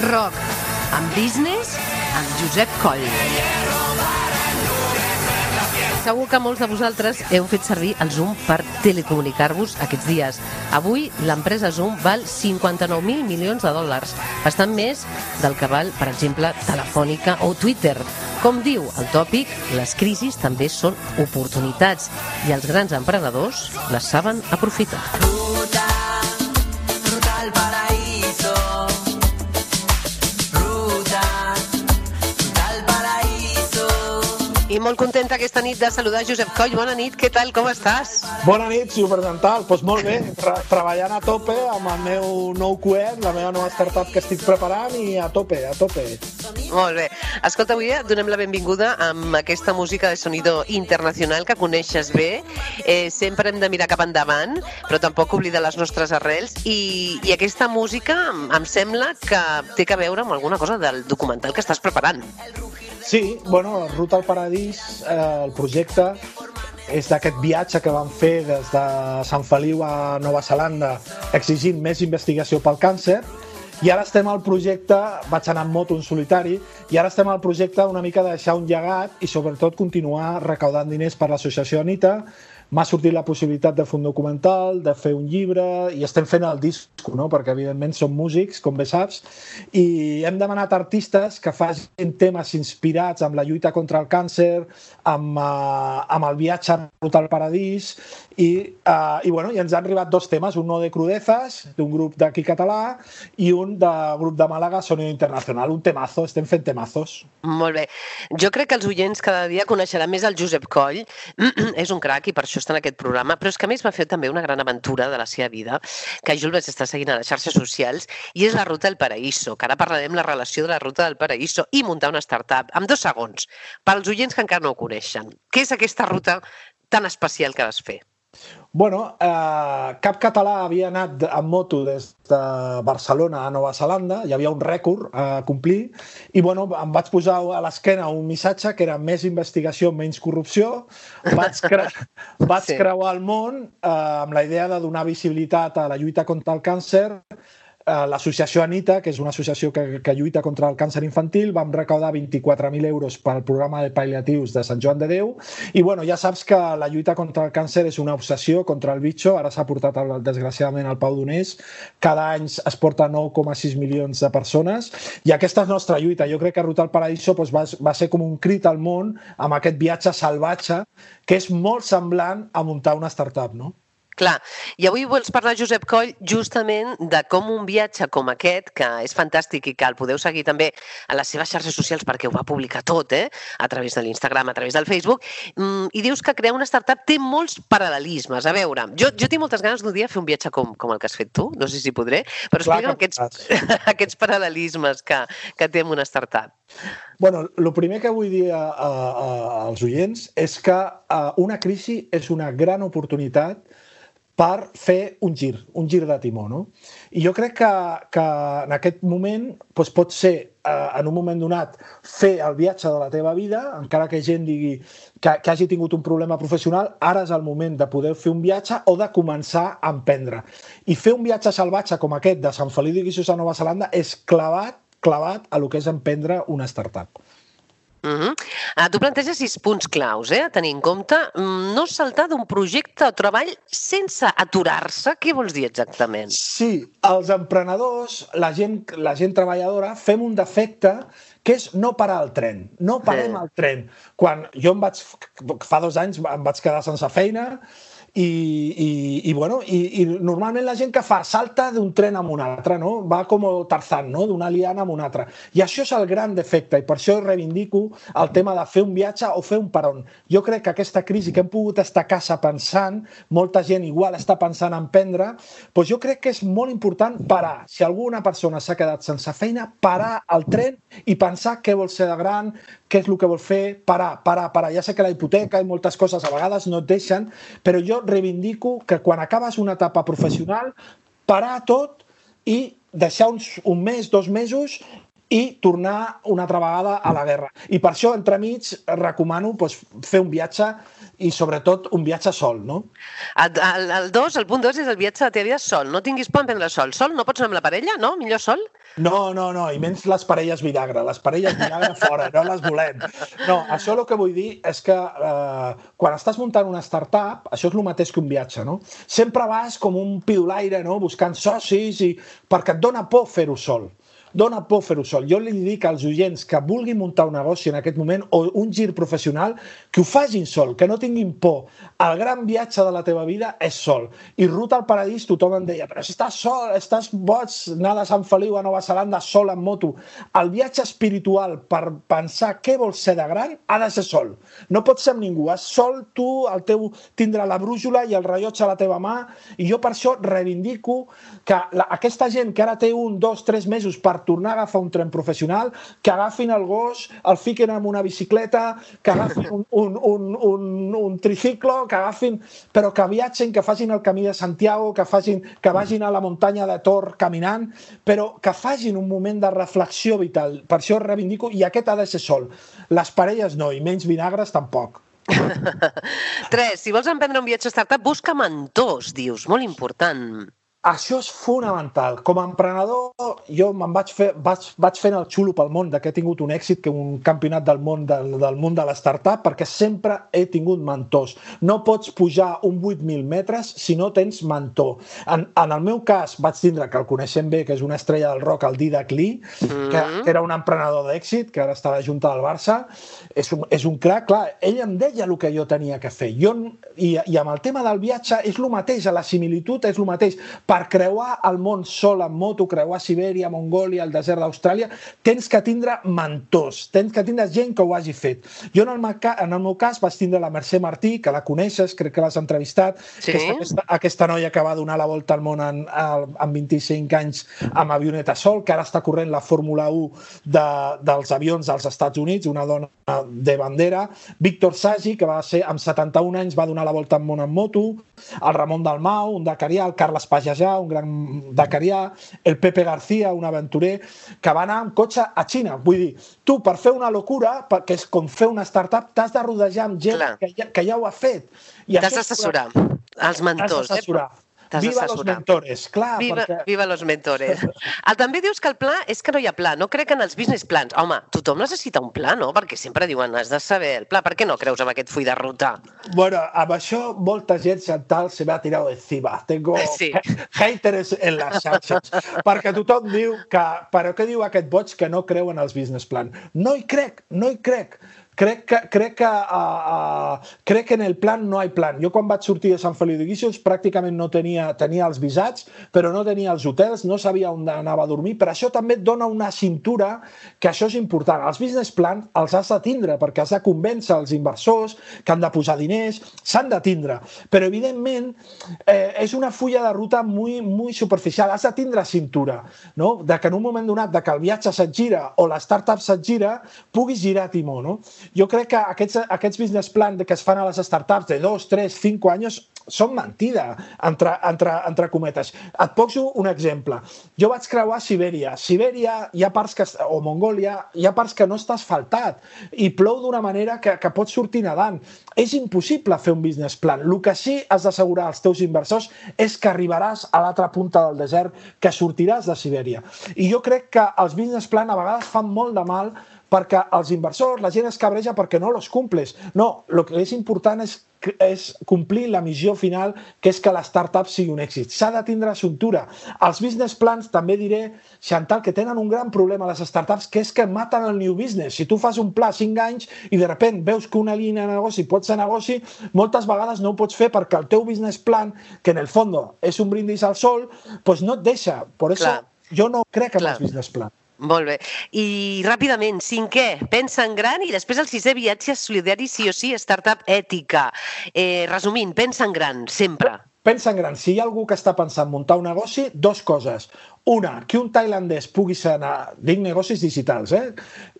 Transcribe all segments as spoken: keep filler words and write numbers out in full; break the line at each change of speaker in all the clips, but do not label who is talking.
rock, amb business, amb Josep Coll. Segur que molts de vosaltres heu fet servir el Zoom per telecomunicar-vos aquests dies. Avui l'empresa Zoom val cinquanta-nou mil milions de dòlars, bastant més del que val, per exemple, Telefònica o Twitter. Com diu el tòpic, les crisis també són oportunitats i els grans emprenedors les saben aprofitar. Ruta, ruta al paraíso. Ruta, ruta al paraíso. I molt contenta aquesta nit de saludar Josep Coll. Bona nit, què tal, com estàs?
Bona nit, superdental. Doncs molt bé, Tra treballant a tope amb el meu nou coet, la meva nova startup que estic preparant i a tope, a tope.
Molt bé. Escolta, avui donem la benvinguda amb aquesta música de sonido internacional que coneixes bé. Eh, sempre hem de mirar cap endavant, però tampoc oblidar les nostres arrels. I, i aquesta música em sembla que té a veure amb alguna cosa del documental que estàs preparant.
Sí, bueno, Ruta al Paradís, eh, el projecte és d'aquest viatge que vam fer des de Sant Feliu a Nova Zelanda exigint més investigació pel càncer. I ara estem al projecte, vaig anar en moto en solitari, i ara estem al projecte una mica de deixar un llegat i sobretot continuar recaudant diners per l'associació Anita. M'ha sortit la possibilitat de fer un documental, de fer un llibre, i estem fent el disc, no? Perquè evidentment som músics, com bé saps, i hem demanat artistes que facin temes inspirats amb la lluita contra el càncer, amb, uh, amb el viatge a Ruta al Paradís, i, uh, i, bueno, i ens han arribat dos temes, un no de crudezas, d'un grup d'aquí català, i un de grup de Màlaga, Sonido Internacional, un temazo, estem fent temazos.
Molt bé. Jo crec que els oients cada dia coneixeran més el Josep Coll, és un crac i per això està en aquest programa, però és que a més va fer també una gran aventura de la seva vida, que jo el vaig estar seguint a les xarxes socials, i és la Ruta del Paraíso, que ara parlarem la relació de la Ruta del Paraíso i muntar una startup, amb dos segons, pels oients que encara no ho coneixen. Què és aquesta ruta tan especial que vas fer?
Bueno, eh, cap català havia anat en moto des de Barcelona a Nova Zelanda, hi havia un rècord a complir, i bueno, em vaig posar a l'esquena un missatge que era més investigació, menys corrupció. Vaig, cre vaig sí. creuar el món eh, amb la idea de donar visibilitat a la lluita contra el càncer. L'associació Anita, que és una associació que, que lluita contra el càncer infantil, vam recaudar vint-i-quatre mil euros pel programa de pal·liatius de Sant Joan de Déu, i bueno, ja saps que la lluita contra el càncer és una obsessió contra el bitxo. Ara s'ha portat desgraciadament al Pau Donés, cada any es porta nou coma sis milions de persones, i aquesta és nostra lluita. Jo crec que Ruta al Paraíso doncs, va, va ser com un crit al món amb aquest viatge salvatge que és molt semblant a muntar una startup, no?
Clar, i avui vols parlar, Josep Coll, justament de com un viatge com aquest, que és fantàstic i que el podeu seguir també a les seves xarxes socials perquè ho va publicar tot, eh? A través de l'Instagram, a través del Facebook, i dius que crear una startup té molts paral·lelismes. A veure, jo, jo tinc moltes ganes d'un dia fer un viatge com, com el que has fet tu, no sé si podré, però explica'm aquests, aquests paral·lelismes que, que té amb una startup.
Bueno, el primer que vull dir a, a, a, als oients és que a, una crisi és una gran oportunitat per fer un gir, un gir de timó, no? I jo crec que, que en aquest moment doncs pot ser, eh, en un moment donat, fer el viatge de la teva vida, encara que gent digui que, que hagi tingut un problema professional, ara és el moment de poder fer un viatge o de començar a emprendre. I fer un viatge salvatge com aquest de Sant Feliu de Guíxols a Nova Zelanda és clavat, clavat a lo que és emprendre una startup.
Uh -huh. uh, tu planteges sis punts claus, eh, a tenir en compte. No saltar d'un projecte o treball sense aturar-se. Què vols dir exactament?
Sí, els emprenedors, la gent, la gent treballadora, fem un defecte que és no parar el tren. No parem el tren. Quan jo em vaig, fa dos anys em vaig quedar sense feina, I, i, i, bueno, i, i normalment la gent que fa salta d'un tren a un altre, no? Va com Tarzan, no? D'una liana a una altra. I això és el gran defecte, i per això reivindico el tema de fer un viatge o fer un peron. Jo crec que aquesta crisi que hem pogut estar a casa pensant, molta gent igual està pensant en prendre, doncs jo crec que és molt important parar. Si alguna persona s'ha quedat sense feina, parar el tren i pensar què vol ser de gran, què és el que vol fer, parar, parar, parar. Ja sé que la hipoteca i moltes coses a vegades no et deixen, però jo reivindico que quan acabes una etapa professional, parar tot i deixar uns, un mes, dos mesos i tornar una altra vegada a la guerra. I per això, entremig, recomano doncs, fer un viatge i, sobretot, un viatge sol, no?
El, el, el, dos, el punt dos és el viatge de la teva vida sol. No tinguis por en prendre sol. Sol no pots anar amb la parella, no? Millor sol?
No, no, no, i menys les parelles vinagre. Les parelles vinagre fora, no les volem. No, això el que vull dir és que eh, quan estàs muntant una startup, això és el mateix que un viatge, no? Sempre vas com un pidolaire, no?, buscant socis, i perquè et dona por fer-ho sol. Dona por fer-ho sol. Jo li dic als oients que vulguin muntar un negoci en aquest moment o un gir professional, que ho facin sol, que no tinguin por. El gran viatge de la teva vida és sol. I Ruta al Paradís tothom em deia, però si estàs sol, estàs boig, anar de Sant Feliu a Nova Zelanda sol en moto. El viatge espiritual per pensar què vols ser de gran ha de ser sol. No pots ser amb ningú. És sol, tu, el teu, tindrà la brújula i el rellotge a la teva mà, i jo per això reivindico que la, aquesta gent que ara té un, dos, tres mesos per tornar a agafar un tren professional, que agafin el gos, el fiquen en una bicicleta, que agafin un, un, un, un, un triciclo, que agafin, però que viatgen, que facin el camí de Santiago, que, facin, que vagin a la muntanya de Tor caminant, però que facin un moment de reflexió vital. Per això reivindico, i aquest ha de ser sol. Les parelles no, i menys vinagres tampoc.
Tres, si vols emprendre un viatge startup, busca mentors, dius, molt important.
Això és fonamental. Com a emprenedor, jo me'n vaig, fer, vaig, vaig fent el xulo pel món de que he tingut un èxit, que un campionat del món del, del món de la startup, perquè sempre he tingut mentors. No pots pujar un vuit mil metres si no tens mentor. En, en el meu cas, vaig tindre, que el coneixem bé, que és una estrella del rock, el Didac Lee, mm. que era un emprenedor d'èxit, que ara està a la Junta del Barça. És un, és un crac, clar, ell em deia el que jo tenia que fer. Jo, i, I amb el tema del viatge és el mateix, la similitud és el mateix. Per creuar el món sol en moto, creuar Sibèria, Mongòlia, el desert d'Austràlia, tens que tindre mentors, tens que tindre gent que ho hagi fet. Jo, en el, meu, en el meu cas, vaig tindre la Mercè Martí, que la coneixes, crec que l'has entrevistat, sí. Que és aquesta, aquesta noia que va donar la volta al món en, en vint-i-cinc anys amb avioneta sol, que ara està corrent la Fórmula u de, dels avions dels Estats Units, una dona de bandera. Víctor Sagi, que va ser amb setanta-un anys, va donar la volta al món en moto. El Ramon Dalmau, un dakarià, el Carles Pajajà, un gran dakarià, el Pepe García, un aventurer, que va anar amb cotxe a Xina. Vull dir, tu, per fer una locura, que és com fer una startup, t'has de rodejar amb gent que ja, que ja ho ha fet.
T'has d'assessorar, els mentors.
T'has d'assessorar.
Eh?
Viva los mentores, clar.
Viva,
perquè...
viva los mentores. El, també dius que el pla és que no hi ha pla. No crec en els business plans. Home, tothom necessita un pla, no? Perquè sempre diuen, has de saber el pla. Per què no creus en aquest full de ruta?
Bueno, amb això molta gent Chantal se m'ha tirat encima. Tengo sí. haters en les xarxes. Perquè tothom diu que... Però què diu aquest boig que no creu en els business plans? No hi crec, no hi crec. Crec que, crec, que, uh, uh, crec que en el plan no hi ha plan. Jo quan vaig sortir de Sant Feliu de Guíxols pràcticament no tenia, tenia els visats, però no tenia els hotels, no sabia on anava a dormir, però això també et dona una cintura, que això és important. Els business plans els has de tindre, perquè has de convèncer els inversors que han de posar diners, s'han de tindre. Però evidentment eh, és una fulla de ruta muy, muy superficial. Has de tindre cintura, no? De que en un moment donat de que el viatge se't gira o la startup se't gira, puguis girar timó, no? Jo crec que aquests, aquests business plans que es fan a les startups de dos, tres, cinc anys són mentida, entre, entre, entre cometes. Et poso un exemple. Jo vaig creuar Sibèria. Sibèria hi ha parts que, o Mongòlia, hi ha parts que no està asfaltat i plou d'una manera que, que pots sortir nedant. És impossible fer un business plan. El que sí has d'assegurar als teus inversors és que arribaràs a l'altra punta del desert, que sortiràs de Sibèria. I jo crec que els business plan a vegades fan molt de mal perquè els inversors, la gent es cabreja perquè no los cumples. No, el que és important és, és complir la missió final, que és que la startup sigui un èxit. S'ha de tindre cintura. Els business plans, també diré, Chantal, que tenen un gran problema les startups, que és que maten el new business. Si tu fas un pla cinc anys i de sobte veus que una línia de negoci pot ser negoci, moltes vegades no ho pots fer perquè el teu business plan, que en el fons és un brindis al sol, pues no et deixa. Per això jo no crec en els business plans.
Molt bé. I ràpidament, cinquè, pensa en gran, i després el sisè, viatge solidari, sí o sí, startup ètica. Eh, resumint, pensa en gran, sempre.
Pensa en gran. Si hi ha algú que està pensant muntar un negoci, dos coses. Una, que un tailandès pugui ser, dic negocis digitals, eh?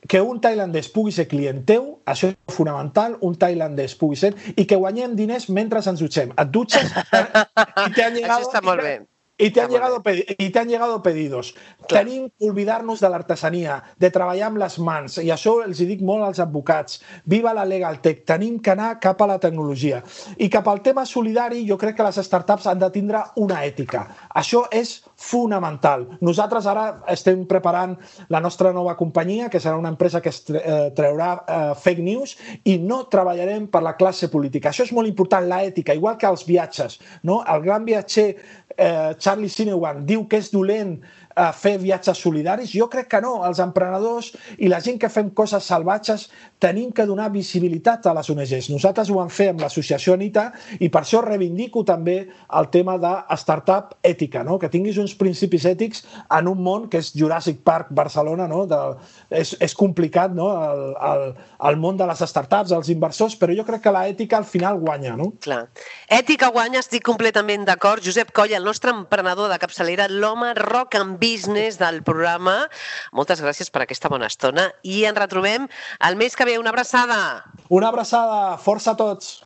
que un tailandès pugui ser client teu, això és fonamental, un tailandès pugui ser, i que guanyem diners mentre ens dutxem. Et dutxes i te han llegado...
Això està molt bé.
Y te, han llegado, y te han llegado pedidos. Clar. Tenim que oblidar-nos de l'artesania, de treballar amb les mans, i això els dic molt als advocats. Viva la Legaltech, tenim que anar cap a la tecnologia. I cap al tema solidari, jo crec que les startups han de tindre una ètica. Això és fonamental. Nosaltres ara estem preparant la nostra nova companyia, que serà una empresa que es treurà eh, fake news, i no treballarem per la classe política. Això és molt important, l'ètica, igual que els viatges. No? El gran viatger eh, Charlie Sinewan diu que és dolent a fer viatges solidaris. Jo crec que no. Els emprenedors i la gent que fem coses salvatges tenim que donar visibilitat a les O N Ges. Nosaltres ho vam fer amb l'associació Anita i per això reivindico també el tema de startup ètica, no? Que tinguis uns principis ètics en un món que és Jurassic Park Barcelona, no? De, és, és complicat, no? El, el, el món de les startups, els inversors, però jo crec que l'ètica al final guanya, no?
Clar. Ètica guanya, estic completament d'acord. Josep Coll, el nostre emprenedor de capçalera, l'home rock and business del programa. Moltes gràcies per aquesta bona estona i ens retrobem el mes que ve. Una abraçada.
Una abraçada. Força a tots.